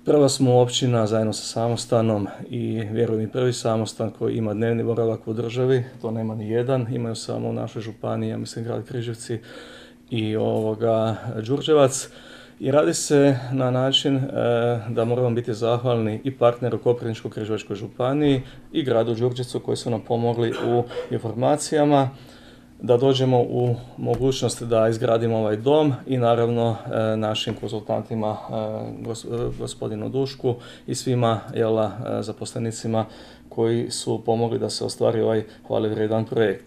Prva smo općina zajedno sa samostanom i vjerujem i prvi samostan koji ima dnevni boravak u državi, to nema ni jedan, imaju samo u našoj županiji, ja mislim grad Križevci i Đurđevac. I radi se na način da moramo biti zahvalni i partneru Koprivničko-križevačkoj županiji i gradu Đurđevcu koji su nam pomogli u informacijama da dođemo u mogućnost da izgradimo ovaj dom i naravno našim konzultantima, gospodinu Dušku i svima zaposlenicima koji su pomogli da se ostvari ovaj hvalevrijedan projekt.